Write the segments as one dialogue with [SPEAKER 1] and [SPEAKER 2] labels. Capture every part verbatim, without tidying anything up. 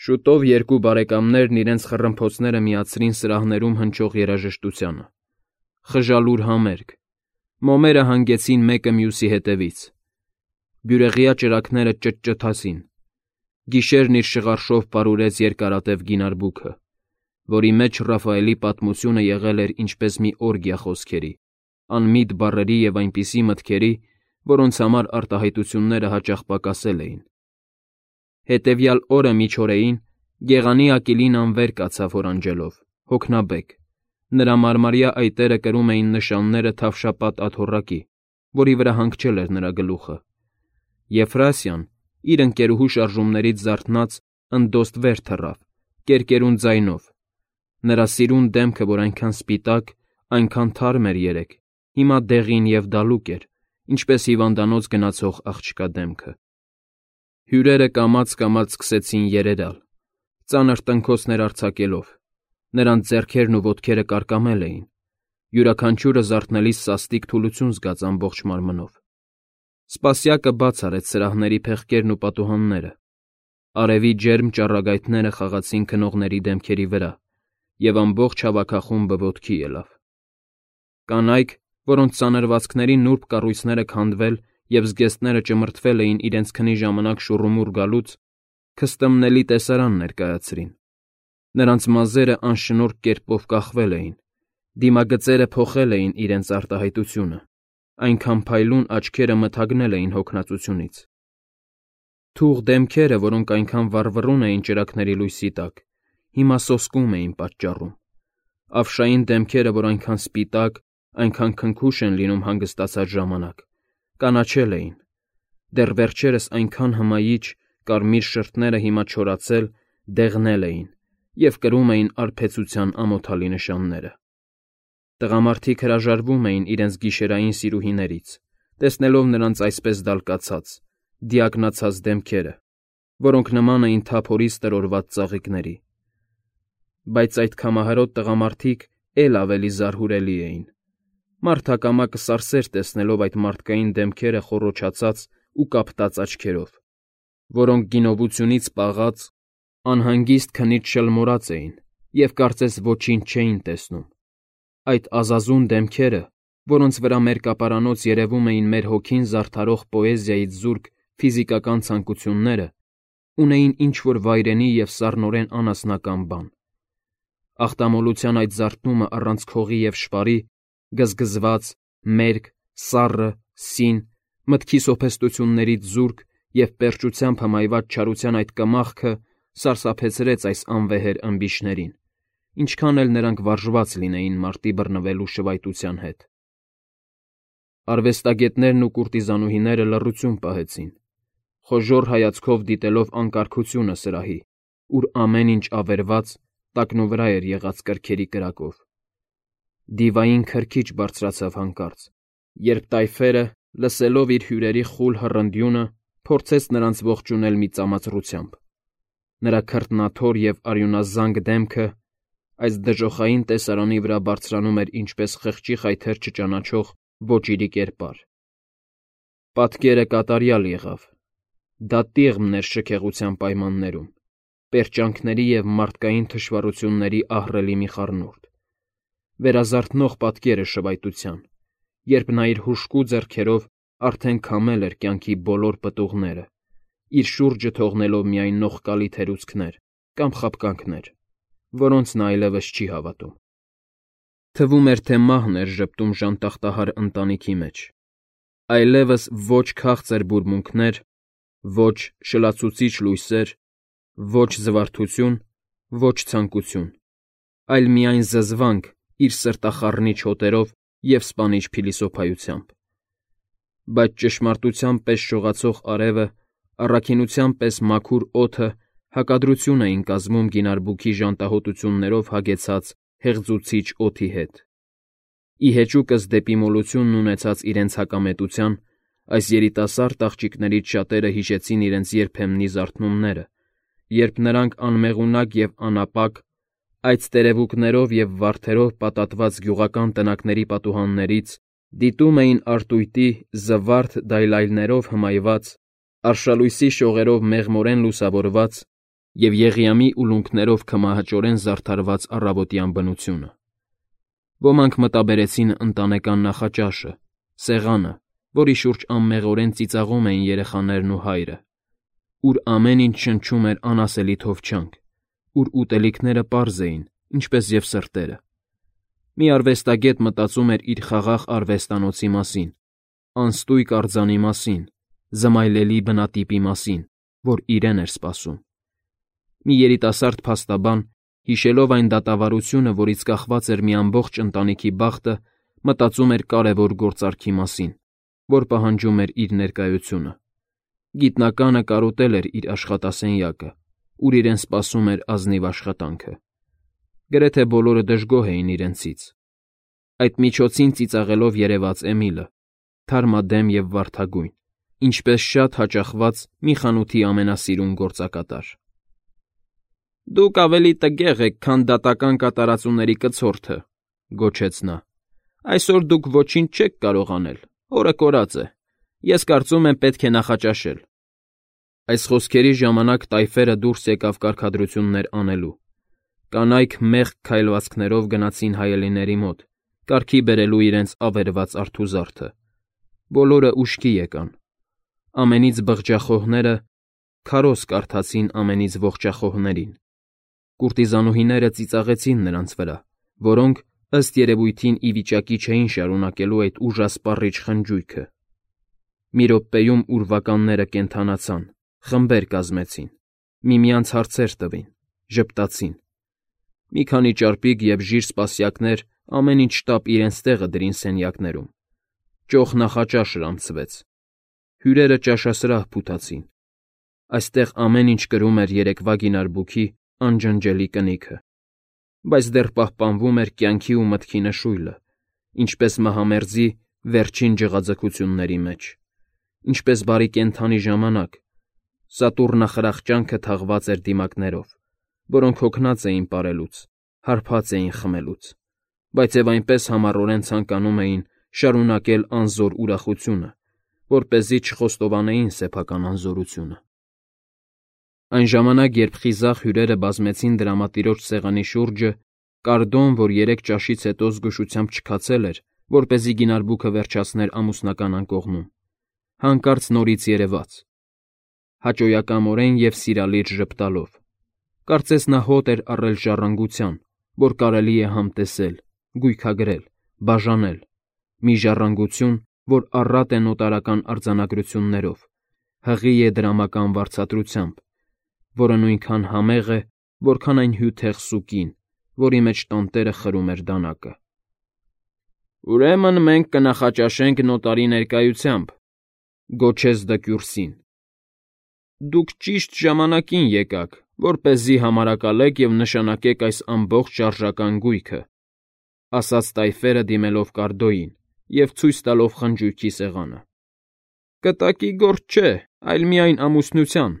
[SPEAKER 1] Շուտով երկու բարեկամներն իրենց խռմփոցները միացրին սրահներում հնչող երաժշտությանը. խժալուր համերգ, մոմերը հանգեցին մեկը մյուսի հետևից, բյուրեղյա ճրագները ճտճթացին, գիշերն իր շղարշով պարուրեց երկարատև գինարբուքը, որի մեջ Ռաֆայելի պատմությունը եղել էր ինչպես մի օրգիա խոսքերի, անմիտ բառերի և այնպիսի մտքերի, որոնց համար արտահայտությունները հաճախ պակասել էին։ Հետևյալ օրը միջօրեին Գեղանի Ակիլին անվեր կացավ հորանջելով, հոգնաբեկ, նրա մարմարյա այտերը կրում էին նշանները թավշապատ աթոռակի, որի վրա հանգչել էր նրա գլուխը։ Եֆրասիան, իր ընկերուհու շարժումներից զարթնած, ընդդոստ վեր թռավ, կերկերուն ձայնով. նրա սիրուն դեմքը, որ այնքան սպիտակ, այնքան թարմ էր երեկ, հիմա դեղին և դալուկ էր, ինչպես հիվանդանոց գնացող աղջկա դեմքը։ Հյուրերը կամաց-կամաց սկսեցին երերալ, ծանր տնքոցներ արձակելով, նրանց ձեռքերն ու ոտքերը կարկամել էին, յուրաքանչյուրը զարթնելիս սաստիկ թուլություն զգաց ամբողջ մարմնով։ Սպասյակը բաց արեց սրահների փեղկերն ու պատուհանները, արևի ջերմ ճառագայթները խաղացին քնողների դեմքերի վրա, և ամբողջ հավաքախումբը ոտքի ելավ։ Կանայք, որոնց սանրվածքների նուրբ կառույցները քանդվել և զգեստները ճմրթվել էին իրենց քնի ժամանակ շուռումուռ գալուց, քստմնելի տեսարան ներկայացրին։ Նրանց մազերը անշնորհք կերպով կախվել էին, դիմագծերը փոխել էին իրենց արտահայտությունը, այնքան փայլուն աչքերը մթագնել էին հոգնածությունից։ Թուղ դեմքերը, որոնք այնքան վառվռուն էին ճրագների լույսի տակ, հիմա սոսկում էին պատճառում։ Ավշային դեմքերը, որ այնքան սպիտակ, այնքան քնքուշ են լինում հանգստացած ժամանակ, կանաչել էին, դեռ վերջերս այնքան հմայիչ, կարմիր շրթները հիմա չորացել, դեղնել էին և կրում էին արբեցության ամոթալի նշանները։ Տղամարդիկ հրաժարվում էին իրենց գիշերային սիրուհիներից, տեսնելով նրանց այսպես դալկացած, դիակնացած դեմքերը, որոնք նման էին թափորից տրորված ծաղիկների։ Բայց այդ քամահարոտ տղամարդիկ էլ ավելի զարհուրելի էին։ Մարդակամակը սարսեր տեսնելով այդ մարդկային դեմքերը խոռոչացած ու կապտած աչքերով, որոնք գինովությունից պաղած, անհանգիստ քնից շլմորած էին և կարծես ոչինչ չէին տեսնում։ Այդ ազազուն դեմքերը, որոնց վրա մերկապարանոց երևում էին մեր հոգին զարդարող պոեզիայից զուրկ ֆիզիկական ցանկությունները, ունեին ինչ-որ վայրենի և սառնորեն անասնական բան։ Ախտամոլության այդ զարթնումը առանց քողի և շվարի, գզգզված, մերկ, սառը, սին, մտքի սոփեստություններից զուրկ և պերճությամբ հմայված չարության այդ կմախքը սարսափեցրեց այս անվեհեր ըմբիշներին, ինչքան էլ նրանք վարժված լինեին մարտի բռնվելու շվայտության հետ։ Արվեստագետներն ու կուրտիզանուհիները լռություն պահեցին, խոժոռ հայացքով դիտելով անկարգությունը սրահի, ուր ամեն ինչ ավերված, տակնուվրա էր եղած կրքերի կրակով։ Դիվային քրքիջ բարձրացավ հանկարծ, երբ տայֆերը, լսելով իր հյուրերի խուլ հռնդյունը, փորձեց նրանց ողջունել մի ծամածռությամբ։ Նրա քրտնաթոր և արյունազանգ դեմքը այս դժոխային տեսարանի վրա բարձրանում էր ինչպես խղճի խայթեր չճանաչող ոճիրի կերպար։ Պատկերը կատարյալ եղավ։ Դա տիղմն էր շքեղության պայմաններում, պերճանքների և մարդկային թշվառությունների ահռելի մի խառնուրդ։ Վերազարթնող պատկերը շվայտության, երբ նա իր հուժկու ձեռքերով արդեն քամել էր կյանքի բոլոր պտուղները, իր շուրջը թողնելով միայն նողկալի թերուցքներ կամ խաբկանքներ, որոնց նա այլևս չի հավատում։ Թվում էր, թե մահն էր ժպտում ժանտախտահար ընտանիքի մեջ, այլևս ոչ քաղցր բուրմունքներ, ոչ շլացուցիչ լույսեր, ոչ զվարթություն, ոչ ցանկություն, այլ միայն զզվանք իր սրտախառնիչ հոտերով և սպանիչ փիլիսոփայությամբ։ Բայց ճշմարտության պես շողացող արևը, առաքինության պես մաքուր օդը հակադրություն էին կազմում գինարբուքի ժանտահոտություններով հագեցած հեղձուցիչ օդի հետ։ Ի հեճուկս դեպի մոլությունն ունեցած իրենց հակամետության, այս երիտասարդ աղջիկներից շատերը հիշեցին իրենց երբեմնի զարթնումները, երբ նրանք անմեղունակ և անապակ, այդ տերևուկներով և վարդերով պատատված գյուղական տնակների պատուհաններից դիտում էին արտույտի զվարթ դայլայլներով հմայված, արշալույսի շողերով մեղմորեն լուսավորված և Եղիամի ուլունքներով քմահաճորեն զարդարված առավոտյան բնությունը։ Ոմանք մտաբերեցին ընտանեկան նախաճաշը, սեղանը, որի շուրջ անմեղորեն ծիծաղում էին երեխաներն ու հայրը, ուր ամեն ինչ շնչում էր անասելի թովչանք, ուր ուտելիքները պարզ էին, ինչպես և սրտերը։ Մի արվեստագետ մտածում էր իր խաղաղ արվեստանոցի մասին, անստույգ արձանի մասին, զմայլելի բնատիպի մասին, որ իրեն էր սպասում։ Մի երիտասարդ փաստաբան, հիշելով այն դատավարությունը, որից կախված էր մի ամբողջ ընտանիքի բախտը, մտածում էր կարևոր գործարքի մասին, որ պահանջում էր իր ներկայությունը։ Գիտնականը կարոտել էր իր աշխատասենյակը, ուր իրեն սպասում էր ազնիվ աշխատանքը։ Գրեթե բոլորը դժգոհ էին իրենցից։ Այդ միջոցին ծիծաղելով երևաց Էմիլը, թարմադեմ և վարդագույն, ինչպես շատ հաճախված մի խանութի ամենասիրուն գործակատար։ «Դուք ավելի տգեղ եք, քան դատական կատարածուների կցորդը», գոչեց նա։ «Այսօր դուք ոչինչ չեք կարող անել, օրը կորած է։ Ես կարծում եմ պետք է նախաճաշել»։ Այս խոսքերի ժամանակ տայֆերը դուրս եկավ կարգադրություններ անելու։ Կանայք մեղք քայլվածքներով գնացին հայելիների մոտ, կարգի բերելու իրենց ավերված արթուզարդը։ Բոլորը ուշքի եկան։ Ամենից բղջախոհները քարոզ կարդացին ամենից ողջախոհներին։ Կուրտիզանուհիները ծիծաղեցին նրանց վրա, որոնք, ըստ երևույթին, ի վիճակի չէին շարունակելու այդ ուժասպառիչ խնջույքը։ Մի րոպեում ուրվականները կենդանացան, խմբեր կազմեցին, միմյանց հարցեր տվին, ժպտացին։ Մի քանի ճարպիկ և ժիր սպասյակներ ամեն ինչ շտապ իրենց տեղը դրին սենյակներում։ Ճոխ նախաճաշր անցվեց։ Հյուրերը ճաշասրահ փութացին։ Այստեղ ամեն ինչ կրում էր երեկվա գինարբուքի անջնջելի կնիքը, բայց դեռ պահպանվում էր կյանքի ու մտքի նշույլը, ինչպես մահամերձի վերջին ջղաձգությունների մեջ, ինչպես բարի կենդանի ժամանակ, սատուրնախրախճանքը թաղված էր դիմակներով, որոնք հոգնած էին պարելուց, հարբած էին խմելուց, բայց և այնպես համառորեն ցանկանում էին շարունակել անզոր ուրախությունը, որպեսզի չխոստովանեին սեփական անզորությունը։ Այն ժամանակ, երբ խիզախ հյուրերը բազմեցին դրամատիրոջ սեղանի շուրջը, Կարդոն, որ երեք ճաշից հետո զգուշությամբ չքացել էր, որպեսզի գինարբուքը վերջացներ ամուսնական անկողնում, հանկարծ նորից երևաց, հաճոյակամորեն և սիրալիր ժպտալով։ Կարծես նա հոտ էր առել ժառանգության, որ կարելի է համտեսել, գույքագրել, բաժանել, մի ժառանգություն, որ առատ է նոտարական արձանագրություններով, հղի է դրամական վարձատրությամբ, որը նույնքան համեղ է, որքան այն հյութեղ սուկին, որի մեջ տանտերը խրում էր դանակը։ «Ուրեմն մենք կնախաճաշենք նոտարի ներկայությամբ», գոչեց Դկյուրսին։ «Դուք ճիշտ ժամանակին եկաք, որպեսզի համարակալեք և նշանակեք այս ամբողջ շարժական գույքը», ասաց տայֆերը դիմելով Կարդոյին և ցույց տալով խնջույքի սեղանը։ «Կտակի գործ չէ, այլ միայն ամուսնության»,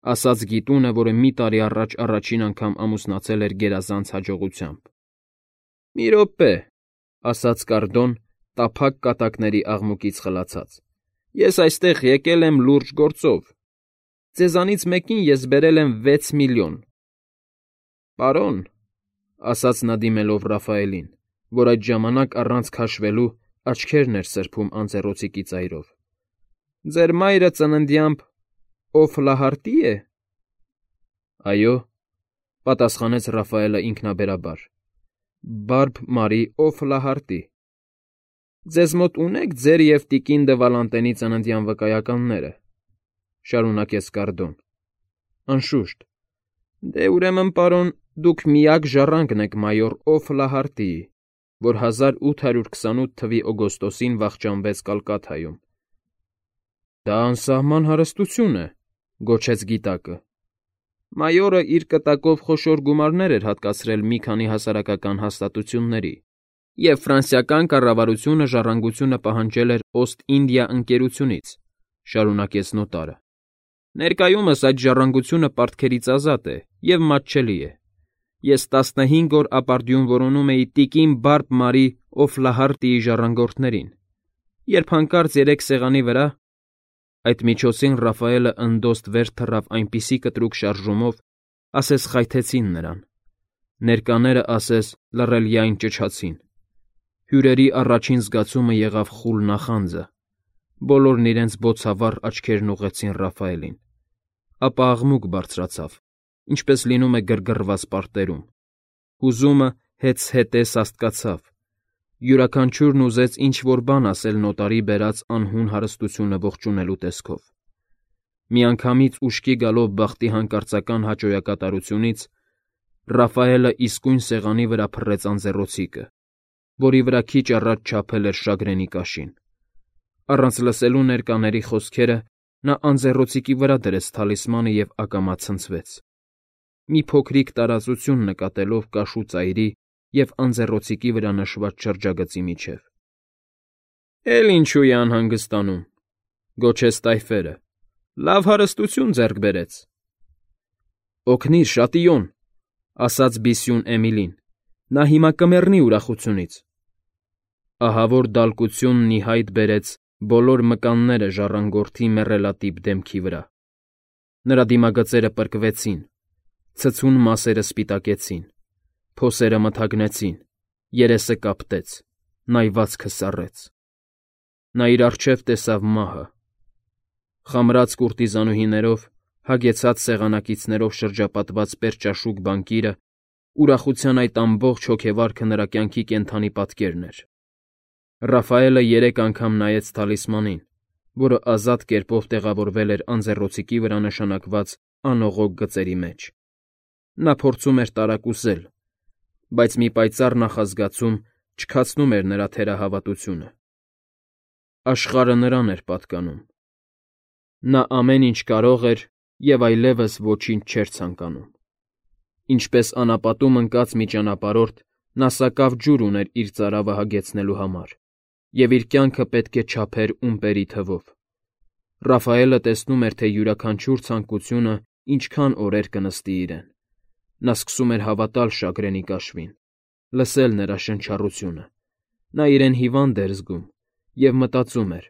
[SPEAKER 1] ասաց գիտունը, որը մի տարի առաջ առաջին անգամ ամուսնացել էր գերազանց հաջողությամբ։ «Մի րոպե», ասաց Կարդոն, տափակ կատակների աղմուկից խլացած։ «Ես այստեղ եկել եմ լուրջ գործով։ Ձեզանից մեկին ես բերել եմ վեց միլիոն»։ «Պարոն», ասաց նա դիմելով Ռաֆայելին, որ այդ ժամանակ առանց քաշվելու աչքերն էր սրբում անձեռոցիկի ծայրով, «ձեր մայրը ծննդյամբ Օֆլահարտի է»։ «Այո», պատասխանեց Ռաֆայելը ինքնաբերաբար, «Բարբ Մարի Օֆլահարտի»։ «Ձեզ մոտ ունե՞ք ձեր և տիկին դը Վալանտենի ծննդյան վկայականները», շարունակեց Կարդոն։ «Անշուշտ»։ «Դե, ուրեմն, պարոն, դուք միակ ժառանգն եք մայոր Օֆլահարտիի, որ հազար ութ հարյուր քսանութ թվականի օգոստոսին վախճանվեց Կալկաթայում»։ «Դա անսահման հարստություն է», գոչեց գիտակը։ «Մայորը իր կտակով խոշոր գումարներ էր հատկացրել մի քանի հասարակական հաստատությունների, և ֆրանսիական կառավարությունը ժառանգությունը պահանջել էր Օստ֊Ինդիա ընկերությունից», շարունակեց նոտարը։ «Ներկայումս այդ ժառանգությունը պարտքերից ազատ է և մատչելի է։ Ես տասնհինգ օր ապարդյուն որոնում էի տիկին Բարբ Մարի Օֆլահարտիի ժառանգորդներին, երբ հանկարծ երեք սեղանի վրա…» Այդ միջոցին Ռաֆայելը ընդոստ վեր թռավ այնպիսի կտրուկ շարժումով, ասես խայթեցին նրան, ներկաները ասես լռելյայն ճչացին։ Հյուրերի առաջին զգացումը եղավ խուլ նախանձը, բոլորն իրենց բոցավառ աչքերն ուղղեցին Ռաֆայելին, ապա աղմուկ բարձրացավ, ինչպես լինում է գրգռված պարտերում, հուզումը հեծհետե սաստկացավ, յուրաքանչյուրն ուզեց ինչ-որ բան ասել նոտարի բերած անհուն հարստությունը ողջունելու տեսքով։ Միանգամից ուշքի գալով բախտի հանկարծական հաճոյակատարությունից Ռաֆայելը իսկույն սեղանի վրա փռեց անձեռոցիկը, որի վրա քիչ առաջ չափել էր շագրենի կաշին։ Առանց լսելու ներկաների խոսքերը նա անձեռոցիկի վրա դրեց թալիսմանը և ակամա ցնցվեց, մի փոքրիկ տարածություն նկատելով կաշու ծայրի և անձեռոցիկի վրա նշված շրջագծի միջև։ ֊ Էլ ինչու է անհանգստանում,֊ գոչեց Տայֆերը,֊ լավ հարստություն ձեռք բերեց։ ֊ Օգնիր, Շատիոն,֊ ասաց բիսյուն Էմիլին,֊ նա հիմա կմեռնի ուրախությունից։ Ահավոր դալկությունն ի հայտ բերեց բոլոր մկանները ժառանգորդի մեռելատիպ դեմքի վրա։ Նրա դիմագծերը պրկվեցին, ցցուն մասերը սպիտակեցին, փոսերը մթագնեցին, երեսը կապտեց, նայվածքը սառեց։ Նա իր առջև տեսավ մահը։ Խամրած կուրտիզանուհիներով, հագեցած սեղանակիցներով շրջապատված պերճաշուք բանկիրը, ուրախության այդ ամբողջ հոգեվարքը նրա կյանքի կենդանի պատկերն էր։ Ռաֆայելը երեք անգամ նայեց թալիսմանին, որը ազատ կերպով տեղավորվել էր անձեռոցիկի վրա նշանակված անողոք գծերի մեջ։ Նա փորձում էր տարակուսել, բայց մի պայծառ նախազգացում չքացնում էր նրա թերահավատությունը։ Աշխարհը նրան էր պատկանում։ Նա ամեն ինչ կարող էր և այլևս ոչինչ չէր ցանկանում։ Ինչպես անապատում ընկած մի ճանապարհորդ, նա սակավ ջուր ուներ իր ծարավը հագեցնելու համար, և իր կյանքը պետք է չափեր ումպերի թվով։ Ռաֆայելը տեսնում էր, թե յուրաքանչյուր ցանկությունը ինչքան օրեր կնստի իրեն։ Նա սկսում էր հավատալ շագրենի կաշվին, լսել նրա շնչառությունը։ Նա իրեն հիվանդ էր զգում և մտածում էր.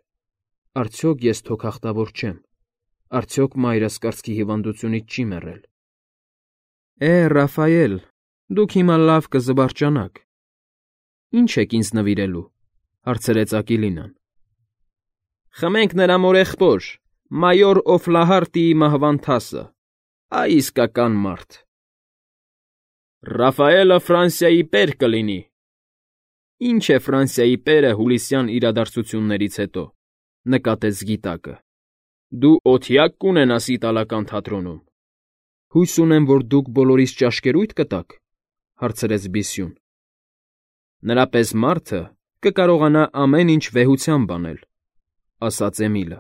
[SPEAKER 1] «Արդյոք ես թոքախտավոր չեմ, արդյոք մայրս կրծքի հիվանդությունից չի մեռել»։ ֊ Է, Ռաֆայել, դուք հիմա լավ կզվարճանաք։ ֊ Ի՞նչ եք ինձ նվիրելու,֊ հարցրեց Ակիլինան։ ֊ Խմենք նրա մորեղբոր, մայոր Օֆլահարտիի մահվան թասը, այ իսկական մարդ։ ֊ Ռաֆայելը Ֆրանսիայի պեր կլինի։ ֊ Ինչ է Ֆրանսիայի պերը հուլիսյան իրադարձություններից հետո,֊ նկատեց գիտակը։ ֊ Դու օթյա՞կ կունենաս իտալական թատրոնում։ ֊ Հույս ունեմ, որ դուք բոլորիս ճաշկերույթ կտաք,֊ հարցրեց բիսյուն։ ֊ Նրա պես մարդը կկարողանա ամեն ինչ վեհությամբ անել,֊ ասաց Էմիլը։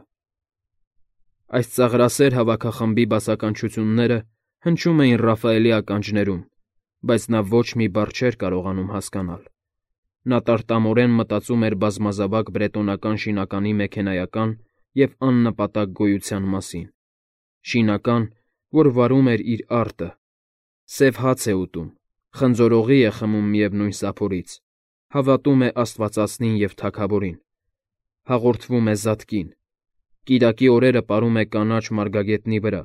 [SPEAKER 1] Այս ծաղրասեր հավաքախմբի բացականչությունները հնչում էին Ռաֆայելի ականջներում, բայց նա ոչ մի բառ չէր կարողանում հասկանալ։ Նա տարտամորեն մտածում էր բազմազավակ բրետոնական շինականի մեքենայական և աննպատակ գոյության մասին։ Շինական, որ վարում էր իր արտը, սև հաց է ուտում, խնձորողի է խմում միևնույն սափորից, հավատում է աստվածածնին և թագավորին, հաղորդվում է զատկին, կիրակի օրերը ապրում է կանաչ մարգագետնի վրա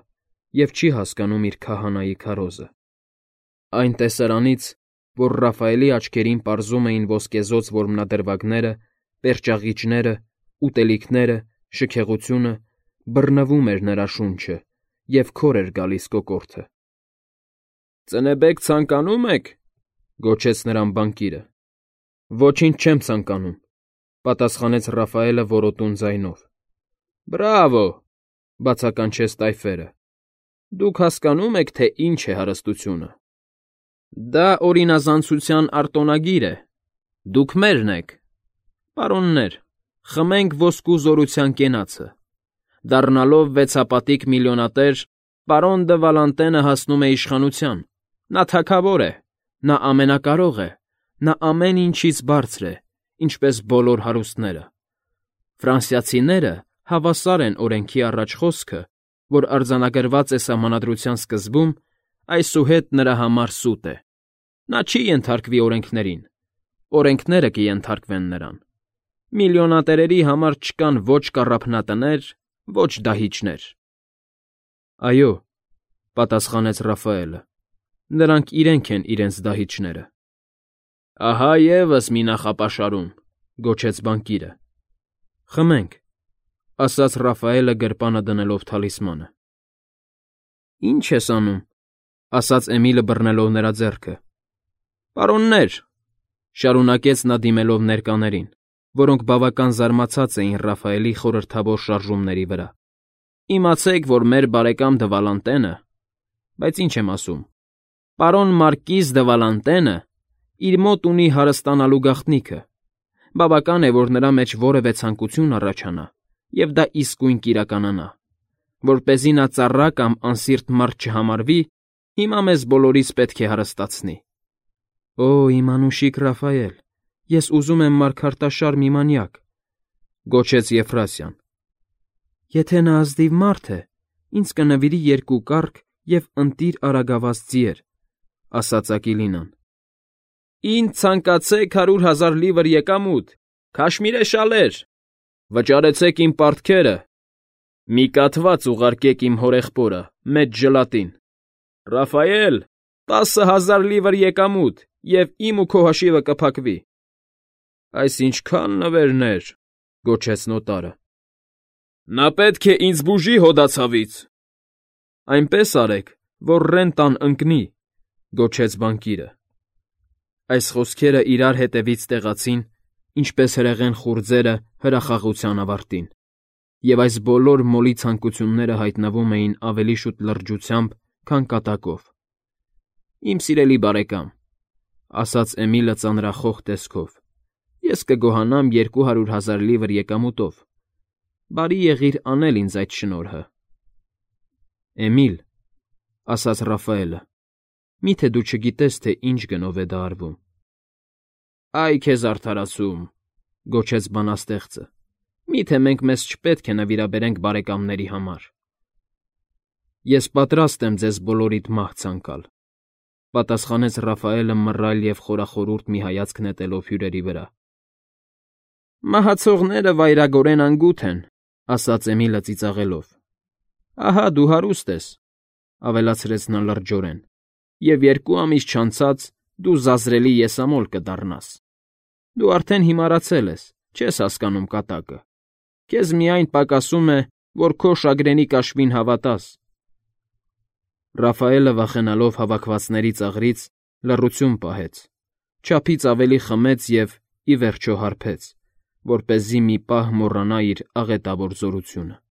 [SPEAKER 1] և չի հասկանում իր քահանայի քարոզը։ Այն տեսարանից, որ Ռաֆայելի աչքերին պարզում էին ոսկեզօծ որմնադրվագները, պերճաղիճները, ուտելիքները, շքեղությունը, բռնվում էր նրա շունչը և քոր էր գալիս կոկորդը։ ֊ Ծնեբեք ցանկանում եք,֊ գոչեց նրան բանկիրը։ ֊ Ոչինչ չեմ ցանկանում,֊ պատասխանեց Ռաֆայելը որոտուն ձայնով։ ֊ Բրավո,֊ բացականչեց Տայֆերը։ ֊ Դուք հասկանո՞ւմ եք, թե ինչ է հարստությունը։ Դա օրինազանցության արտոնագիր է։ Դուք մերն եք։ Պարոններ, խմենք ոսկու զորության կենացը։ Դառնալով վեցապատիկ միլիոնատեր, պարոն դը Վալանտենը հասնում է իշխանության։ Նա թագավոր է, նա ամենակարող է, նա ամեն ինչից բարձր է, ինչպես բոլոր հարուստները։ Ֆրանսիացիները հավասար են օրենքի առաջ խոսքը, որ արձանագրված է Սահմանադրության սկզբում, այսուհետ նրա համար սուտ է։ Նա չի ենթարկվի օրենքներին, օրենքները կենթարկվեն նրան։ Միլիոնատերերի համար չկան ոչ կառափնատներ, ոչ դահիճներ։ Այո, պատասխանեց Ռաֆայելը։ Նրանք իրենք են իրենց դահիճները։ Ահա ևս մի նախապաշարում, գոչեց բանկիրը։ Խմենք, ասաց Ռաֆայելը գրպանը դնելով թալիսմանը։ Ինչ ես անում, ասաց Էմիլը բռնելով նրա ձեռքը։ Պարոններ, շարունակեց նա դիմելով ներկաներին, որոնք բավական զարմացած էին Ռաֆայելի խորհրդավոր շարժումների վրա։ Իմացեք, որ մեր բարեկամ Դվալանտենը, բայց ինչ եմ ասում, պարոն Մարկիզ Դվալանտենը իր մոտ ունի հարստանալու գաղտնիքը։ Բավական է, որ նրա մեջ որևէ ցանկություն առաջանա, և դա իսկույն կիրականանա։ Որպեսզի նա ծառա կամ անսիրտ մարդ չհամարվի, հիմա մեզ բոլորիս պետք է հարստացնի։ Օ, իմ անուշիկ Ռաֆայել, ես ուզում եմ մարգարտաշար մի մանյակ, գոչեց Եֆրասիան։ Եթե նա ազնիվ մարդ է, ինձ կնվիրի երկու կառք և ընտիր արագավազ ձիեր, ասաց Ակիլինան։ Ինձ ցանկացեք հարյուր հազար լիվր եկամուտ, քաշմիրե շալեր, վճարեցեք իմ պարտքերը, մի կաթված ուղարկեք իմ հորեղբորը, մեծ ժլատին։ Ռաֆայել, տասը հազար լիվր եկամուտ, և իմ ու քո հաշիվը կփակվի։ Այս ինչքան նվերներ, գոչեց նոտարը։ Նա պետք է ինձ բուժի հոդացավից։ Այնպես արեք, որ ռենտան ընկնի, գոչեց բանկիրը։ Այս խոսքերը իրար հետևից տեղացին, ինչպես հրեղեն խուրձերը հրախաղության ավարտին, և այս բոլոր մոլի ցանկությունները հայտնվում էին ավելի շուտ լրջությամբ, քան կատակով։ Իմ սիրելի բարեկամ, ասաց Էմիլը ծանրախոխ տեսքով, ես կգոհանամ երկու հարյուր հազար լիվր եկամուտով։ Բարի եղիր անել ինձ այդ շնորհը։ Էմիլ, ասաց Ռաֆայելը, միթե դու չգիտես, թե ինչ գնով է դա արվում։ Այ քեզ արդարացում, գոչեց բանաստեղծը, միթե մենք մեզ չպետք է նվիրաբերենք բարեկամների համար։ Ես պատրաստ եմ ձեզ բոլորիդ մահ ցանկալ, պատասխանեց Ռաֆայելը մռայլ և խորախորուրդ մի հայացք նետելով հյուրերի վրա։ Մահացողները վայրագորեն անգութ են, ասաց Էմիլը ծիծաղելով։ Ահա դու հարուստ ես, ավելացրեց նա լրջորեն, և երկու ամիս չանցած դու զազրելի եսամոլ կդառնաս։ Դու արդեն հիմարացել ես, չես հասկանում կատակը։ Քեզ միայն պակասում է, որ քո շագրենի կաշվին հավատաս։ Ռաֆայելը վախենալով հավաքվածների ծաղրից լռություն պահեց, չափից ավելի խմեց և, ի վերջո, հարբեց, որպեսզի մի պահ մոռանա իր աղետավոր զորությունը։